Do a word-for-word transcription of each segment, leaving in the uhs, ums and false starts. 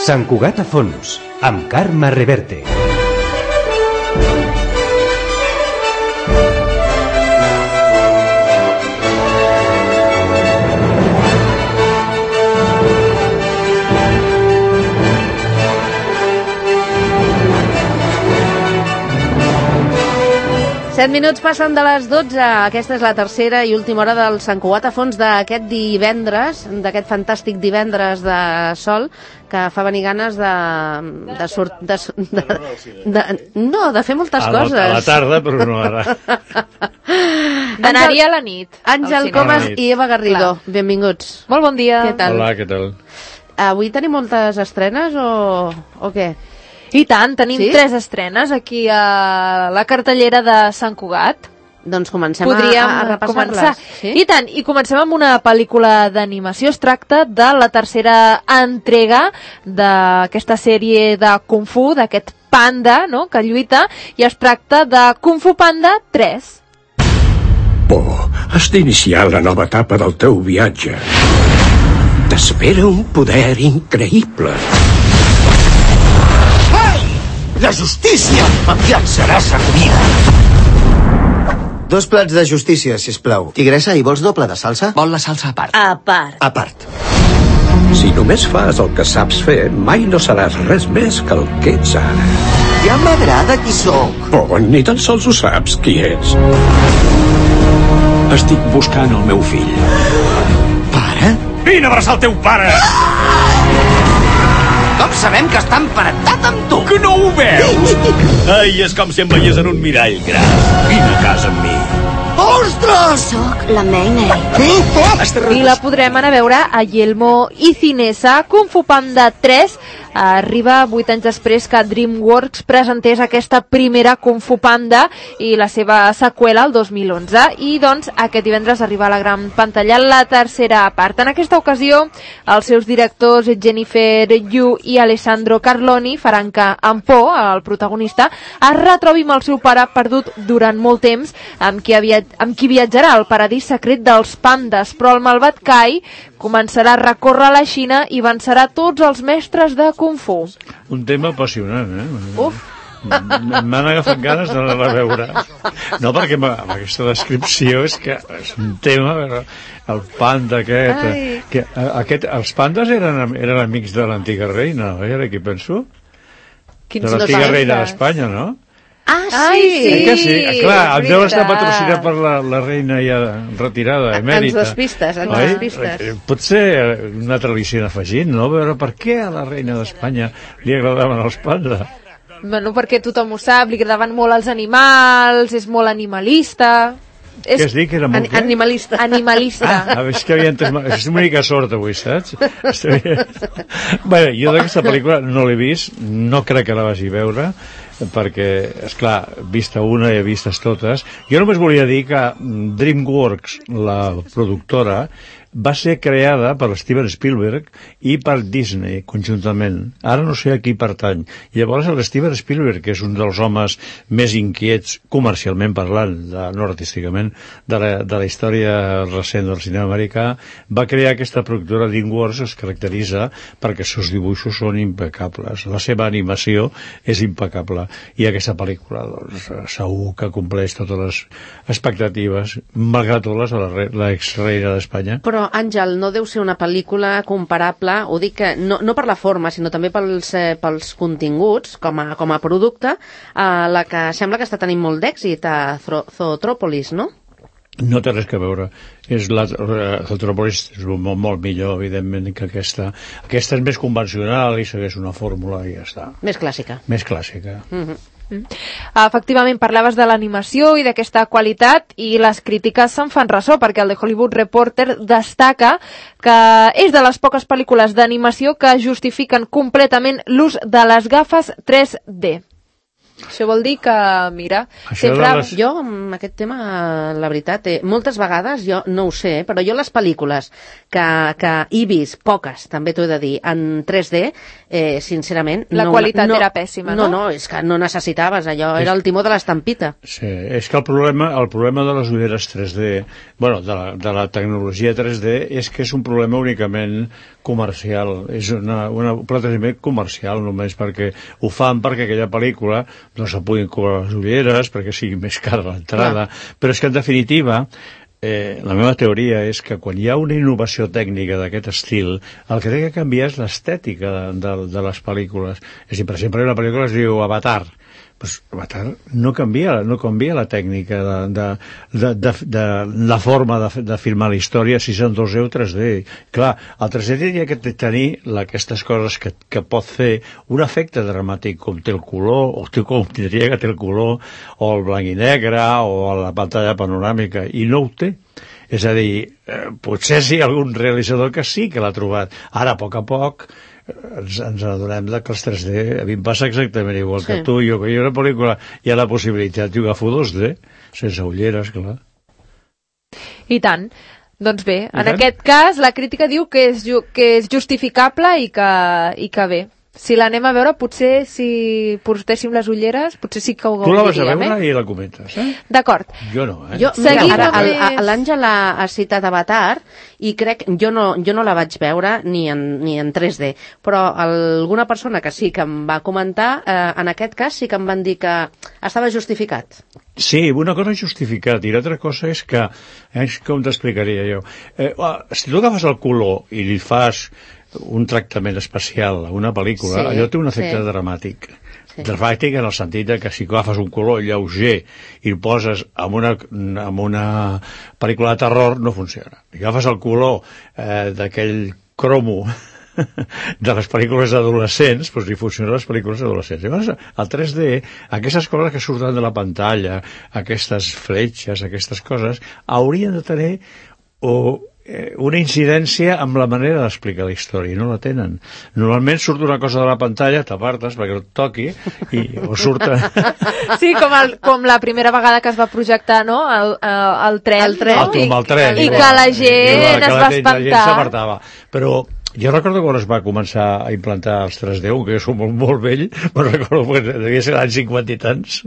Sant Cugat a fons, amb Carme Reverte. set minuts passen de les dotze. Aquesta és la tercera i última hora del Sant Cugat a fons d'aquest divendres, d'aquest fantàstic divendres de sol, que fa venir ganes de... de, sort, de, de, de, de no, de fer moltes a la, coses. A la tarda, però no ara. D'anar-hi a la nit. Àngel Comas i Eva Garrido, clar. Benvinguts. Molt bon dia. Què tal? Hola, què tal? Avui tenim moltes estrenes o, o què? I tant, tenim sí? tres estrenes aquí a la cartellera de Sant Cugat. Doncs comencem Podríem a, a repassar-les. Sí? I tant, i comencem amb una pel·lícula d'animació. Es tracta de la tercera entrega d'aquesta sèrie de Kung Fu, d'aquest panda, no?, que lluita, i es tracta de Kung Fu Panda tres. Por, has d'iniciar la nova etapa del teu viatge. T'espera un poder increïble. La justícia em llançarà servida. Dos plats de justícia, sisplau. Tigressa, i vols doble de salsa? Vol la salsa a part. A part. A part. Si només fas el que saps fer, mai no seràs res més que el que ets ara. Ja m'agrada qui sóc. Oh, ni tan sols ho saps qui ets. Estic buscant el meu fill. Pare? Vine a abraçar el teu pare! Com sabem que està emparentat amb tu? Que no ho veus? Ai, és com si em veiés en un mirall gran. Vine a casa amb mi. Ostres! Soc la Mei Mei. I la podrem anar a veure a Yelmo i Cinesa. Kung Fu Panda tres arriba vuit anys després que DreamWorks presentés aquesta primera Kung Fu Panda i la seva seqüela el dos mil onze. I doncs aquest divendres arriba a la gran pantalla la tercera part. En aquesta ocasió els seus directors Jennifer Yu i Alessandro Carloni faran que en Po, el protagonista, es retrobi amb el seu pare perdut durant molt temps, amb qui, havia, amb qui viatjarà al paradís secret dels pandes, però el malvat Kai començarà a recórrer la Xina i vencerà tots els mestres de Kung Fu. Un tema apassionant, eh? Uf! M'han agafat ganes d'anar a veure. No, perquè amb aquesta descripció és que és un tema, el panda aquest... Ai. Que, aquest els pandes eren, eren amics de l'antiga reina, no? Era qui penso? Quins de l'antiga pandes? reina d'Espanya, no? Ah, sí! Ai, sí. Eh que sí? Clar, em deu estar veritat. patrocinat per la, la reina ja retirada, emèrita. Ens despistes, ens Oi? despistes. Potser una tradició afegint, no? Veure per què a la reina d'Espanya li agradaven els pandas. Bueno, perquè tothom ho sap, li agradaven molt els animals, és molt animalista. Què has dit, que era molt An animalista. Animalista. Ah, és que havia entès... És una mica sort avui, saps? Bé, jo d'aquesta pel·lícula no l'he vist, no crec que la vagi a veure, perquè, esclar, vista una i vistes totes. Jo només volia dir que DreamWorks, la productora, va ser creada per Steven Spielberg i per Disney conjuntament. Ara no sé a qui pertany. Llavors el Steven Spielberg, que és un dels homes més inquiets comercialment parlant, de, no artísticament, de la, de la història recent del cinema americà, va crear aquesta productora. DreamWorks es caracteritza perquè els seus dibuixos són impecables. La seva animació és impecable. I aquesta pel·lícula, doncs, segur que compleix totes les expectatives, malgrat tot les de l'ex-reina d'Espanya. Però, Àngel, no deu ser una pel·lícula comparable, ho dic que no, no per la forma, sinó també pels, eh, pels continguts, com a, com a producte, a la que sembla que està tenint molt d'èxit, a Zootropolis, no? No té res que veure. És la, Zootropolis és molt, molt millor, evidentment, que aquesta. Aquesta és més convencional i segueix una fórmula i ja està. Més clàssica. Més clàssica. Mm-hmm. Mm. Efectivament, parlaves de l'animació i d'aquesta qualitat i les crítiques se'n fan ressò perquè el The Hollywood Reporter destaca que és de les poques pel·lícules d'animació que justifiquen completament l'ús de les gafes tres D. Això vol dir que, mira, Això sempre... de les- Jo, amb aquest tema, la veritat, eh, moltes vegades, jo no ho sé, però jo les pel·lícules que, que he vist, poques, també t'ho he de dir, en tres D, eh, sincerament... La no, qualitat no, era pèssima, no? No, no, és que no necessitaves allò, era el timó de l'estampita. Sí, és que el problema, el problema de les ulleres tres D, bueno, de la, de la tecnologia tres D, és que és un problema únicament comercial, és una, una, un plantejament comercial només, perquè ho fan perquè aquella pel·lícula no se puguin cobrar les ulleres, perquè sigui més cara l'entrada, però és que en definitiva eh, la meva teoria és que quan hi ha una innovació tècnica d'aquest estil, el que té que canviar és l'estètica de, de, de les pel·lícules. És a dir, per exemple, una pel·lícula es diu Avatar, pues Avatar no canvia, no canvia la tècnica de, de, de, de, de la forma de, de filmar la història, si són dos D o tres D. Clar, el tres D tenia que tenir la, aquestes coses que, que pot fer un efecte dramàtic com té el color, o té, com tindria que té el color, o el blanc i negre, o la pantalla panoràmica, i no ho té. És a dir, eh, potser sí algun realitzador que sí que l'ha trobat. Ara, a poc a poc, ens, ens adonem que els tres D, a mi em passa exactament igual sí. que tu, jo, que hi ha una pel·lícula, hi ha la possibilitat, jo agafo dos D, sense ulleres, clar. I tant. Doncs bé, I en tant? aquest cas la crítica diu que és, ju que és justificable i que, i que bé. Si l'anem a veure, potser si portéssim les ulleres, potser sí que ho Tu la vas a gaudiríem, veure eh? i la comentes, eh? D'acord. Jo no, eh? Jo, Seguim mira, ara, amb el- més- l'Àngel ha, ha citat Avatar i crec, jo no, jo no la vaig veure ni en, ni en tres D, però alguna persona que sí que em va comentar, eh, en aquest cas sí que em van dir que estava justificat. Sí, una cosa és justificat i l'altra cosa és que, eh, com t'explicaria jo, eh, si tu agafes el color i li fas un tractament especial a una pel·lícula, Sí, allò té un efecte sí. dramàtic. Sí. Dramàtic en el sentit de que si agafes un color lleuger i el poses en una, en una pel·lícula de terror, no funciona. Si agafes el color eh, d'aquell cromo de les pel·lícules adolescents, doncs li funcionen les pel·lícules adolescents. Llavors, el tres D, aquestes coses que surten de la pantalla, aquestes fletxes, aquestes coses, haurien de tenir o eh, una incidència amb la manera d'explicar la història, i no la tenen. Normalment surt una cosa de la pantalla, t'apartes perquè et toqui, i, o surt... Sí, com, el, com la primera vegada que es va projectar, no?, el, el, el tren. El tren. no? el, amb el tren. I, i igual. que la gent Igual, que es la va gent- espantar. La gent s'apartava. Però jo recordo quan es va començar a implantar els tres D, que jo soc molt, molt vell, però recordo que devia ser l'any cinquanta i tants,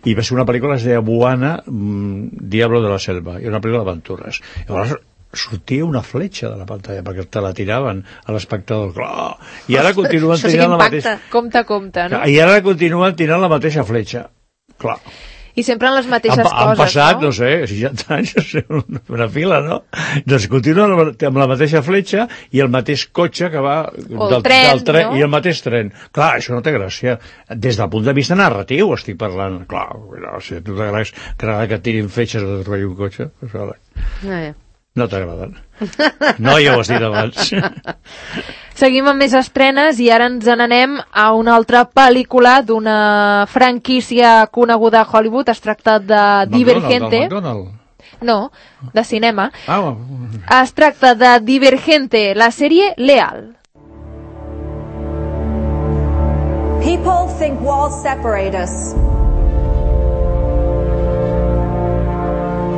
i va ser una pel·lícula que es deia Moana, mmm, Diablo de la Selva, i una pel·lícula d'aventures. Llavors sortia una fletxa de la pantalla perquè te la tiraven a l'espectador. Clar. I ara continuen Això sí que tirant la impacta. mateixa... Compte, compte, no? I ara continuen tirant la mateixa fletxa. Clar. I sempre en les mateixes han, coses, han passat, no? no sé, seixanta anys, no sé, una, una fila, no? Doncs continuen amb la mateixa fletxa i el mateix cotxe que va O el tren, del tren, no? i el mateix tren. Clar, això no té gràcia. Des del punt de vista narratiu estic parlant. Clar, no, si a tu t'agrada que et tirin fletxes o t'atropelli un cotxe, doncs, vale. Eh. No t'agraden. No, ja ho has dit abans. Seguim amb més estrenes i ara ens n'anem a una altra pel·lícula d'una franquícia coneguda a Hollywood. Es tracta de Divergente. McDonald, McDonald. No, de cinema. Ah, Es tracta de Divergente, la sèrie Leal. People think walls separate us.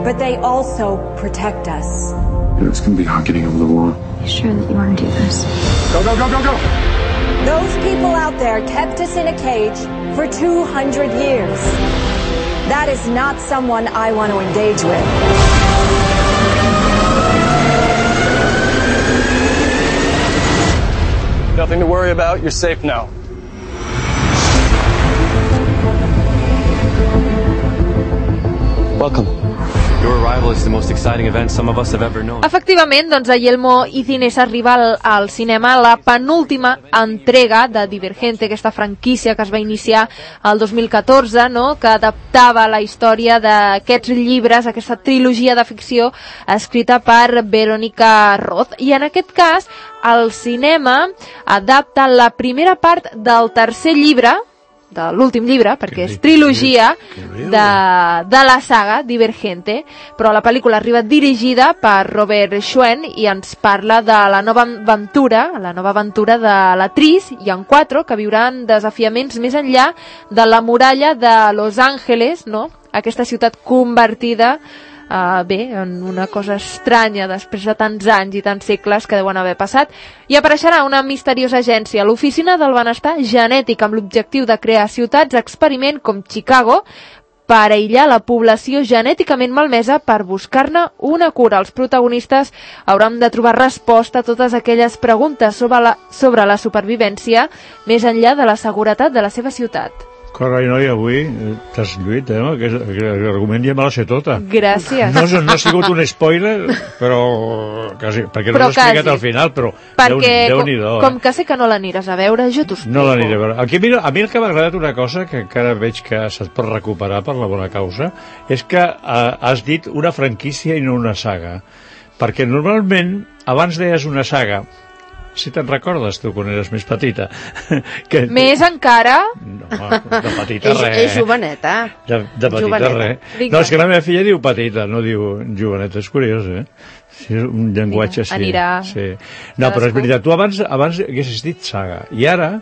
But they also protect us. It's going to be hard getting over the wall. You sure that you want to do this? Go, go, go, go, go! Those people out there kept us in a cage for two hundred years. That is not someone I want to engage with. Nothing to worry about. You're safe now. Welcome. Your arrival is the most exciting event some of us have ever known. Efectivament, doncs, a Yelmo i Cines arriba al, al cinema la penúltima entrega de Divergente, aquesta franquícia que es va iniciar el dos mil catorze, no?, que adaptava la història d'aquests llibres, aquesta trilogia de ficció escrita per Verónica Roth. I en aquest cas, el cinema adapta la primera part del tercer llibre, de l'últim llibre, perquè és trilogia de, de la saga Divergente, però la pel·lícula arriba dirigida per Robert Schwen i ens parla de la nova aventura, la nova aventura de la Tris i en Quattro, que viuran desafiaments més enllà de la muralla de Los Angeles, no? Aquesta ciutat convertida Uh, bé, en una cosa estranya després de tants anys i tants segles que deuen haver passat, i apareixerà una misteriosa agència, l'Oficina del Benestar Genètic, amb l'objectiu de crear ciutats experiment com Chicago per aïllar la població genèticament malmesa per buscar-ne una cura. Els protagonistes hauran de trobar resposta a totes aquelles preguntes sobre la, sobre la supervivència més enllà de la seguretat de la seva ciutat. Carai, noi, avui t'has lluit, eh? Aquest, aquest argument ja me la sé tota. Gràcies. No, no ha sigut un spoiler, però quasi, perquè no l'he explicat al final, però perquè Déu, com, Déu com eh? que sé que no l'aniràs a veure, jo t'ho explico. No l'aniré a veure. Aquí, mira, a mi el que m'ha agradat una cosa, que encara veig que se't pot recuperar per la bona causa, és que eh, has dit una franquícia i no una saga. Perquè normalment, abans deies una saga, si te'n recordes tu quan eres més petita. Que... Més encara? No, de petita és, res. És joveneta. De, de petita joveneta. Res. No, és que la meva filla diu petita, no diu joveneta, és curiós, eh? Sí, és un llenguatge així. Anirà. Sí. No, però és veritat, tu abans, abans haguessis dit saga, i ara,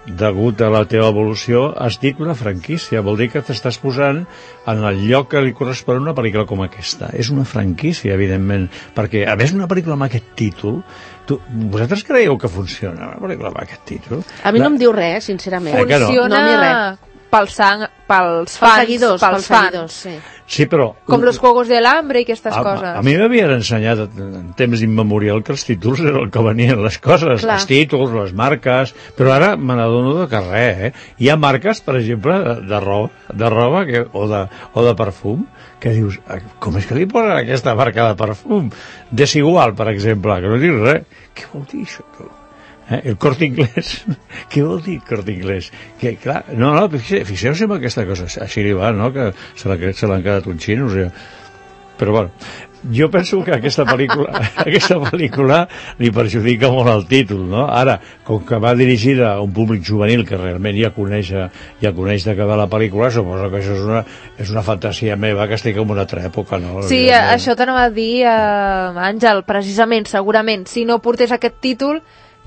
degut a la teva evolució, has dit una franquícia. Vol dir que t'estàs posant en el lloc que li correspon una pel·lícula com aquesta. És una franquícia, evidentment, perquè, a més, una pel·lícula amb aquest títol, tu, vosaltres creieu que funciona una pel·lícula amb aquest títol? A mi la... no em diu res, sincerament. Funciona no, pels, sang, pels fans, pels seguidors, pels, pels fans. seguidors, sí. Sí, però... Com los Juegos del Hambre i aquestes a, coses. A mi m'havien ensenyat en temps immemorial que els títols eren el que venien les coses, Clar. els títols, les marques, però ara me n'adono de que res, eh? Hi ha marques, per exemple, de, de roba, de roba que, o, de, o de perfum, que dius, com és que li posen aquesta marca de perfum? Desigual, per exemple, que no dius res. Què vol dir això, tu? Eh? El Corte Inglés, què vol dir Corte Inglés? Que, clar, no, no, fixeu-se en aquesta cosa, així li va, no?, que se l'han quedat un xino, o sigui. Però bueno, jo penso que aquesta pel·lícula aquesta pel·lícula li perjudica molt el títol, no? Ara, com que va dirigida a un públic juvenil que realment ja coneix, ja coneix de què va la pel·lícula, suposo que això és una, és una fantasia meva que estic en una altra època, no? Sí, això t'anava a dir, eh, Àngel, precisament, segurament, si no portés aquest títol,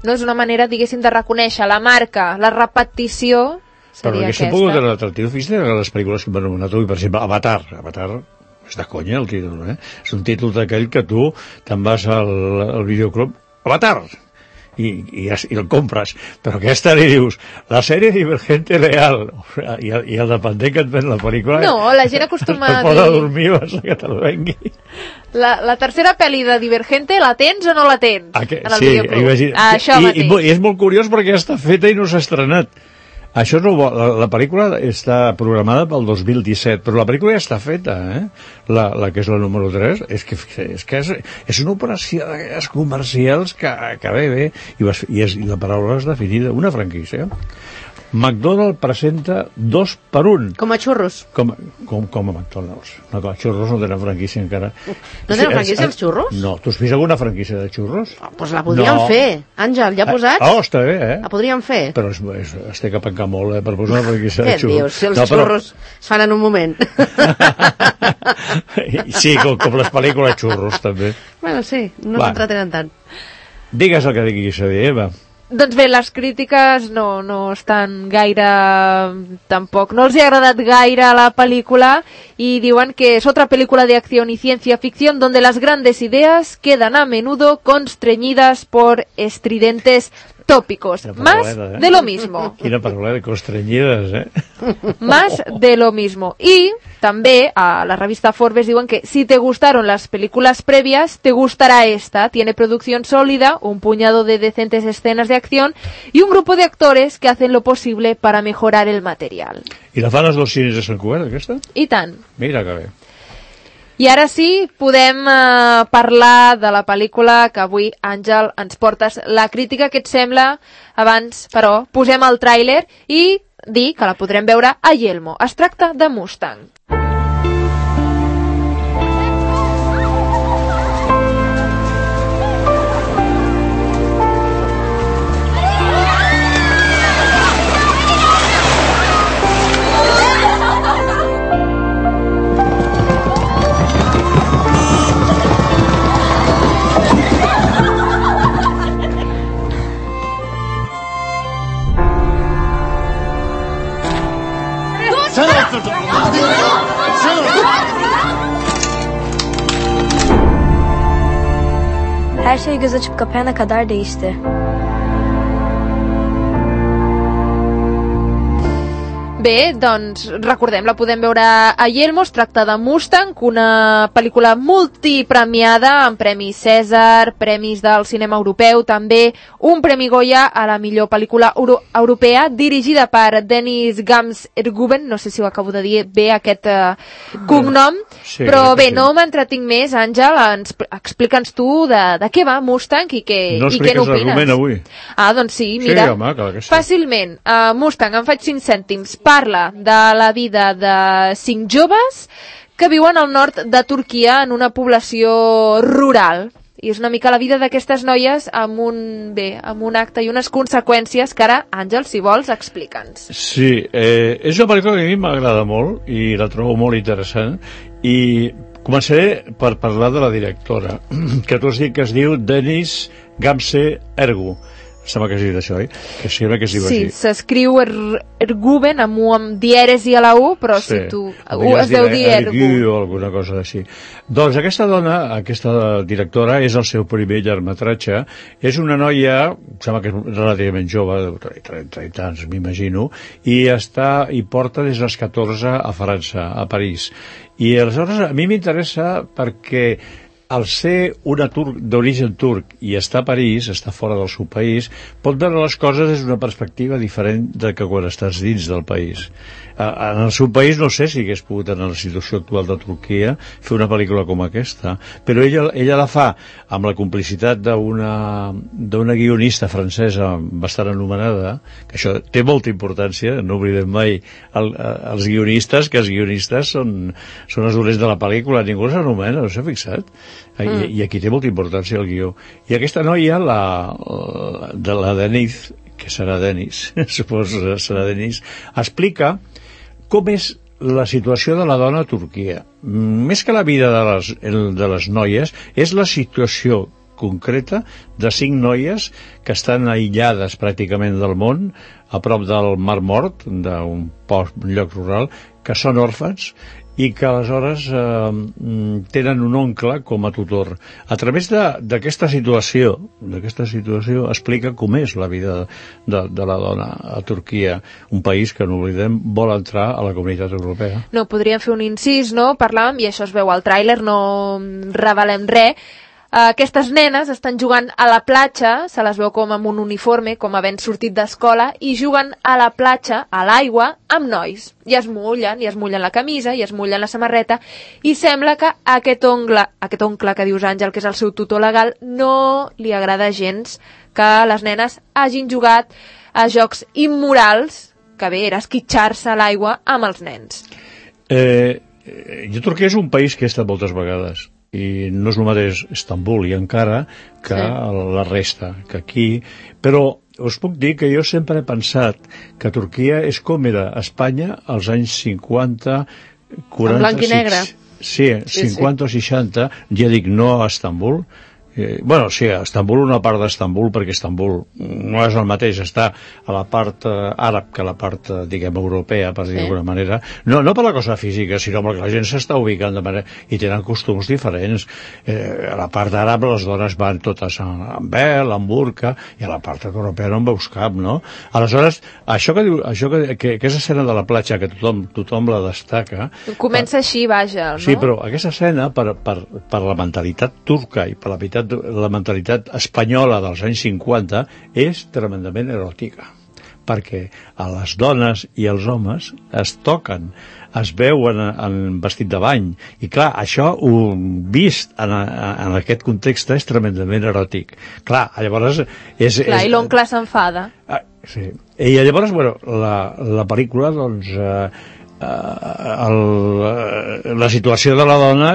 no és una manera, diguéssim, de reconèixer la marca, la repetició seria però aquesta. Però pogut era l'atractiu, fixa't en les pel·lícules que m'han anomenat avui, per exemple, Avatar, Avatar és de conya el títol, eh? És un títol d'aquell que tu te'n vas al, al videoclub, Avatar, i, i, i el compres, però aquesta li dius la sèrie Divergente Leal, i, i el dependent que et ven la pel·lícula no, la gent acostuma a dir... es pot dormir abans que te'l vengui. La, la tercera pel·li de Divergente la tens o no la tens? Que, en el sí, videoclub. Ah, això I, mateix. I, I és molt curiós perquè està feta i no s'ha estrenat. Això no, la, la pel·lícula està programada pel dos mil disset, però la pel·lícula ja està feta, eh? La, la que és la número tres, és que és, que és, és una operació d'aquelles comercials que, que bé, bé, i, vas, i, és, i la paraula és definida, una franquícia. McDonald's presenta dos per un. Com a xurros. Com, com, com a McDonald's. No, com a xurros no tenen franquícia encara. No tenen franquícia els xurros? No. Tu has vist alguna franquícia de xurros? Doncs oh, pues la podríem no. fer. Àngel, ja posats? Oh, està bé, eh? La podríem fer. Però es, es, es té que pencar molt, eh, per posar una franquícia de xurros. Què dius? Si els no, però... xurros es fan en un moment. Sí, com, com les pel·lícules xurros, també. Bueno, sí, no s'entretenen tant. Digues el que diguis a dir, Eva. Doncs bé, les crítiques no, no estan gaire... tampoc. No els ha agradat gaire la película y diuen que es otra película de acción y ciencia ficción donde las grandes ideas quedan a menudo constreñidas por estridentes tópicos. Más eh? de lo mismo. Quina paraula de constreñides, eh? Más de lo mismo. Y també a la revista Forbes diuen que si te gustaron las películas previas, te gustará esta. Tiene producción sólida, un puñado de decentes escenas de acción y un grupo de actores que hacen lo posible para mejorar el material. I la fan els dos cines de Sant Cugat, aquesta? I tant. Mira que bé. I ara sí, podem eh, parlar de la pel·lícula que avui, Àngel, ens portes la crítica que et sembla. Abans, però, posem el tràiler i dir que la podrem veure a Yelmo. Es tracta de Mustang. Her şey göz açıp kapayana kadar değişti. Bé, doncs recordem, la podem veure a Yelmo, es tracta de Mustang, una pel·lícula multipremiada amb premis Cèsar, premis del cinema europeu, també un premi Goya a la millor pel·lícula euro europea, dirigida per Dennis Gams-Erguben, no sé si ho acabo de dir bé aquest uh, cognom, sí, però bé, sí. No m'entretinc més, Àngel, ens, explica'ns tu de, de què va Mustang i què, no i què n'opines. No expliques l'argument avui. Ah, doncs sí, mira, sí, home, clar que sí. Fàcilment, uh, Mustang, em faig cinc cèntims, parla de la vida de cinc joves que viuen al nord de Turquia en una població rural. I és una mica la vida d'aquestes noies amb un, bé, amb un acte i unes conseqüències que ara, Àngel, si vols, explica'ns. Sí, eh, és una pel·lícula que a mi m'agrada molt i la trobo molt interessant i començaré per parlar de la directora, que tu has dit que es diu Dennis Gamse-Ergu. Sembla que es diu això, oi? Que sembla que es diu sí, així. Sí, s'escriu er, Erguben amb U amb dieres i a la U, però sí, si tu... U es deu dir Ergu. o alguna cosa així. Doncs aquesta dona, aquesta directora, és el seu primer llargmetratge. És una noia, sembla que és relativament jove, de trenta anys, m'imagino, i està i porta des dels catorze a França, a París. I aleshores a mi m'interessa perquè al ser una turc d'origen turc i està a París, està fora del seu país, pot veure les coses des d'una perspectiva diferent de que quan estàs dins del país. En el seu país no sé si hagués pogut, en la situació actual de Turquia, fer una pel·lícula com aquesta, però ella, ella la fa amb la complicitat d'una d'una guionista francesa bastant anomenada, que això té molta importància, no oblidem mai el, els guionistes, que els guionistes són, són els dolents de la pel·lícula, ningú s'anomena, no s'ha fixat? I, mm. I aquí té molta importància el guió. I aquesta noia, la, de la Denis, que serà Denis, suposo serà Denis, explica com és la situació de la dona a Turquia. Més que la vida de les, de les noies, és la situació concreta de cinc noies que estan aïllades pràcticament del món, a prop del Mar Mort, d'un lloc rural, que són òrfans i que aleshores eh, tenen un oncle com a tutor. A través d'aquesta situació, d'aquesta situació explica com és la vida de, de la dona a Turquia, un país que, no oblidem, vol entrar a la Comunitat Europea. No, podríem fer un incís, no? Parlàvem, i això es veu al tràiler, no revelem res. Aquestes nenes estan jugant a la platja, se les veu com amb un uniforme, com havent sortit d'escola, i juguen a la platja, a l'aigua, amb nois. I es mullen, i es mullen la camisa, i es mullen la samarreta, i sembla que aquest oncle, aquest oncle que dius Àngel, que és el seu tutor legal, no li agrada gens que les nenes hagin jugat a jocs immorals, que bé, era esquitxar-se a l'aigua amb els nens. Eh, jo Turquia és un país que he estat moltes vegades, i no és el mateix Istanbul i Ankara que sí. La resta, que aquí, però us puc dir que jo sempre he pensat que Turquia és com era Espanya als anys cinquanta, quaranta... En blanc i negre. Sí, cinquanta sí, sí. o seixanta, ja dic no a Istanbul. Eh, bueno, sí, a Istanbul, una part d'Istanbul, perquè Istanbul no és el mateix, està a la part eh, àrab que a la part, eh, diguem, europea, per dir sí. d'alguna manera. No, no per la cosa física, sinó perquè la gent s'està ubicant de manera... i tenen costums diferents. Eh, a la part àrab les dones van totes amb vel, amb burca, i a la part europea no en veus cap, no? Aleshores, això que diu, això que, que, que és escena de la platja, que tothom, tothom la destaca... Comença per, així, vaja, no? Sí, però aquesta escena, per, per, per la mentalitat turca i per la mentalitat la mentalitat espanyola dels anys cinquanta és tremendament eròtica, perquè a les dones i els homes es toquen, es veuen en vestit de bany, i clar, això ho vist en, en aquest context és tremendament eròtic. Clar, llavors és... Clar, és, i l'oncle s'enfada. Ah, sí. I llavors, bueno, la, la pel·lícula, doncs... Eh, El, la situació de la dona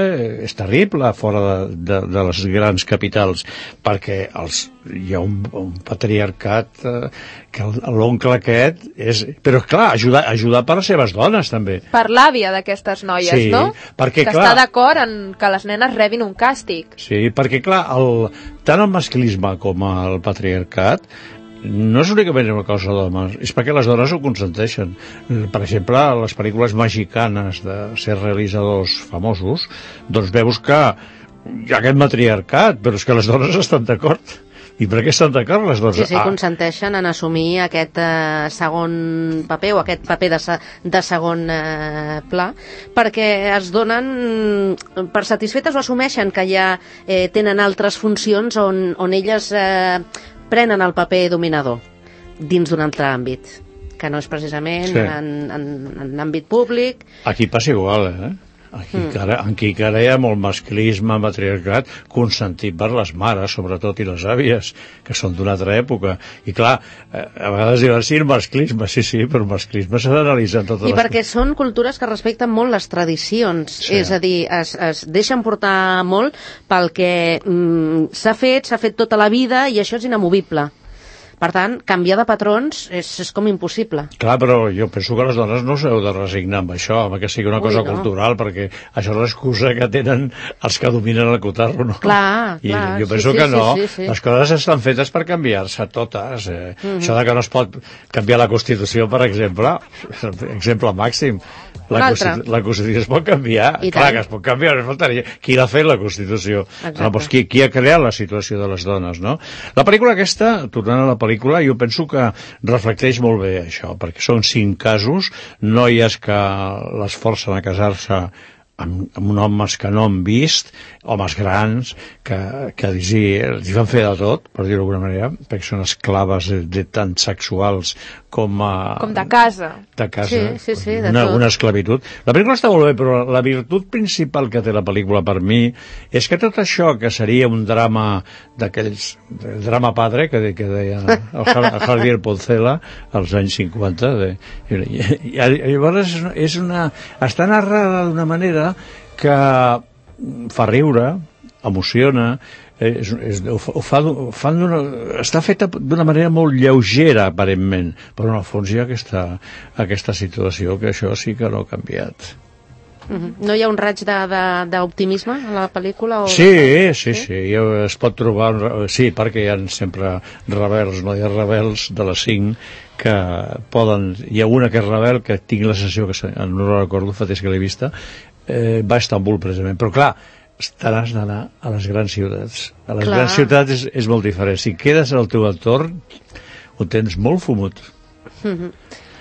és terrible fora de, de, de les grans capitals, perquè els, hi ha un, un patriarcat eh, que l'oncle aquest és... Però clar, ajudar, ajudar per les seves dones també. Per l'àvia d'aquestes noies, sí, no? Perquè, que clar, està d'acord en que les nenes rebin un càstig. Sí, perquè clar, el, tant el masclisme com el patriarcat no és únicament una cosa d'homes, és perquè les dones ho consenteixen. Per exemple, les pel·lícules mexicanes de ser realitzadors famosos, doncs veus que aquest matriarcat, però és que les dones estan d'acord. I per què estan d'acord les dones? Sí, sí, consenteixen en assumir aquest eh, segon paper o aquest paper de, se, de segon eh, pla, perquè es donen per satisfetes o assumeixen que ja eh, tenen altres funcions on, on elles eh, prenen el paper dominador dins d'un altre àmbit, que no és precisament sí. en, en, en àmbit públic. Aquí passa igual, eh? Aquí, mm. cara, aquí cara hi ha molt masclisme, matriarcat, consentit per les mares, sobretot, i les àvies, que són d'una altra època. I clar, a vegades diuen, sí, el masclisme, sí, sí, però el masclisme s'ha d'analitzar en totes I les... perquè són cultures que respecten molt les tradicions, sí. és a dir, es, es deixen portar molt pel que mm, s'ha fet, s'ha fet tota la vida, i això és inamovible. Per tant, canviar de patrons és, és com impossible. Clar, però jo penso que les dones no s'heu de resignar amb això, amb que sigui una Ui, cosa no. cultural, perquè això és l'excusa que tenen els que dominen el cotarro, no? Clar, I clar. jo penso sí, que sí, no. Sí, sí, sí. Les coses estan fetes per canviar-se totes. Eh? Mm-hmm. Això de que no es pot canviar la Constitució, per exemple, exemple màxim. La, Constitu la Constitució es pot canviar. I clar tant. Que es pot canviar, no faltaria. Qui l'ha fet, la Constitució? No, doncs qui, qui ha creat la situació de les dones, no? La pel·lícula aquesta, tornant a la pel·lícula, jo penso que reflecteix molt bé això, perquè són cinc casos, noies que les forcen a casar-se amb, amb homes que no han vist, homes grans, que, que sí, els van fer de tot, per dir-ho d'alguna manera, perquè són esclaves de, de tant sexuals com a... Com de casa. De casa, sí, sí, sí, de una, tot. una esclavitud. La pel·lícula està molt bé, però la virtut principal que té la pel·lícula per mi és que tot això que seria un drama d'aquells, el drama padre, que, que deia el Javier Poncela als anys cinquanta, de, i, i, i llavors és una, està narrada d'una manera que fa riure, emociona, és, és, ho fa, ho fa està feta d'una manera molt lleugera aparentment, però en el fons hi ha aquesta, aquesta situació que això sí que no ha canviat. Mm-hmm. No hi ha un raig d'optimisme a la pel·lícula? O... Sí, sí, sí, sí, es pot trobar, sí, perquè hi ha sempre rebels, no hi ha rebels de les cinc que poden, hi ha una que és rebel que tinc la sensació que no la recordo, fa temps que l'he vista, eh, va a Estambul precisament, però clar, t'has d'anar a les grans ciutats. A les Clar. grans ciutats és, és molt diferent. Si quedes al teu entorn, ho tens molt fumut. Mm-hmm.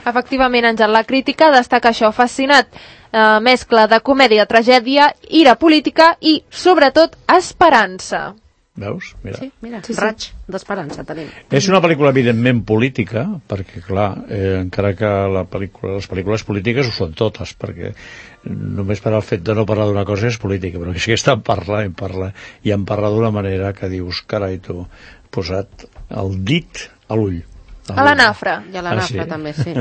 Efectivament, Àngel, la crítica destaca això, fascinat. Eh, mescla de comèdia, tragèdia, ira política i, sobretot, esperança. Veus? Mira. Sí, mira, sí, sí. Raig d'esperança tenim. És una pel·lícula evidentment política, perquè clar, eh, encara que la pel·lícula, les pel·lícules polítiques ho són totes, perquè només per al fet de no parlar d'una cosa és política, però és que estan parlant, parlant, i en parla d'una manera que dius, carai, tu, posat el dit a l'ull. A la nafra. I a la nafra ah, sí? també, sí.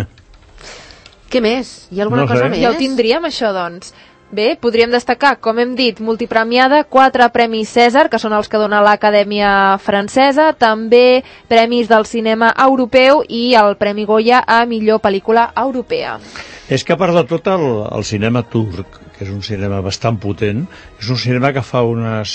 Què més? Hi ha alguna no cosa sé. més? Ja ho tindríem, això, doncs. Bé, podríem destacar, com hem dit, multipremiada, quatre premis Cèsar, que són els que dona l'Acadèmia Francesa, també premis del cinema europeu i el Premi Goya a millor pel·lícula europea. És que a part de tot el, el cinema turc, que és un cinema bastant potent, és un cinema que fa unes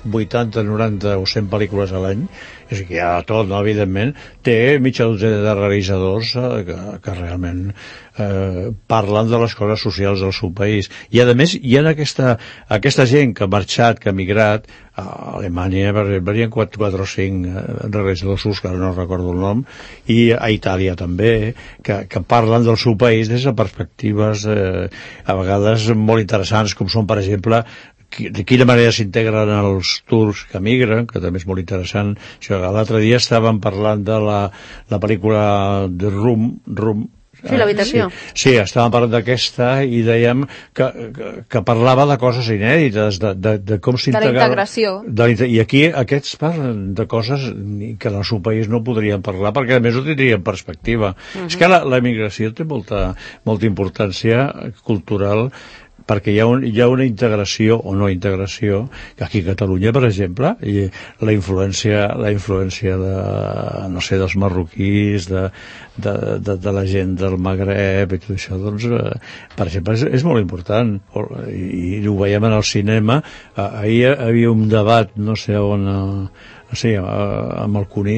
vuitanta, noranta o cent pel·lícules a l'any, és que hi ha tot, no, evidentment, té mitja dotzena de realitzadors eh, que, que realment eh, parlen de les coses socials del seu país. I a més hi ha aquesta, aquesta gent que ha marxat, que ha migrat, a Alemanya, per exemple, hi ha quatre o cinc realitzadors que ara no recordo el nom, i a Itàlia també, que, que parlen del seu país des de perspectives eh, a vegades molt interessants, com són, per exemple, de quina manera s'integren els turcs que migren, que també és molt interessant. L'altre dia estàvem parlant de la, la pel·lícula de Room, Room Sí, l'habitació. Sí, sí, estàvem parlant d'aquesta i dèiem que, que, que parlava de coses inèdites, de, de, de com s'integrava... De la integració. De, I aquí aquests parlen de coses que en el seu país no podrien parlar, perquè a més ho tindrien perspectiva. Uh-huh. És que la, la migració té molta, molta importància cultural, perquè hi ha, un, hi ha una integració o no integració, que aquí a Catalunya, per exemple, i la influència, la influència de, no sé, dels marroquís, de, de, de, de la gent del Magreb i tot això, doncs, eh, per exemple, és, és molt important, i, i ho veiem en el cinema. Ahir hi havia un debat, no sé on... Eh, sí, amb el Cuní,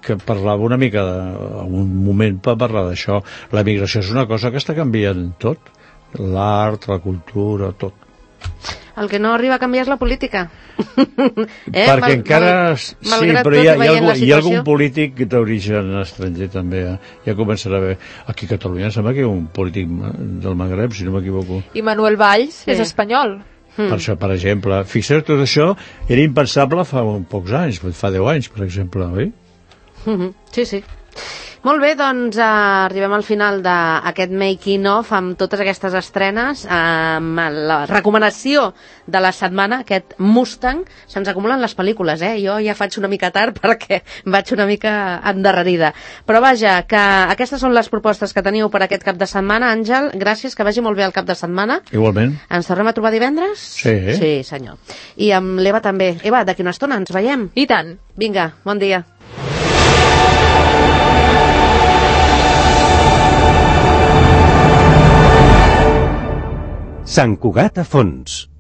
que parlava una mica de, en un moment per parlar d'això. La migració és una cosa que està canviant tot, l'art, la cultura, tot. El que no arriba a canviar és la política. eh? Perquè mal, encara... Mal, sí, però hi ha, hi, ha algú, hi ha algun polític d'origen estranger també. Eh? Ja començarà a veure. Aquí a Catalunya sembla que hi ha un polític del Magreb, si no m'equivoco. I Manuel Valls sí. és espanyol. Mm. Per això, per exemple. Fixeu, tot això era impensable fa pocs anys, fa deu anys, per exemple, oi? Mm-hmm. Sí, sí. Molt bé, doncs eh, arribem al final d'aquest making of amb totes aquestes estrenes, amb la recomanació de la setmana, aquest Mustang. Se'ns acumulen les pel·lícules, eh? Jo ja faig una mica tard perquè vaig una mica endarrerida. Però vaja, que aquestes són les propostes que teniu per aquest cap de setmana. Àngel, gràcies, que vagi molt bé el cap de setmana. Igualment. Ens tornem a trobar divendres? Sí. Sí, senyor. I amb l'Eva també. Eva, d'aquí una estona ens veiem. I tant. Vinga, bon dia. Sant Cugat a fons.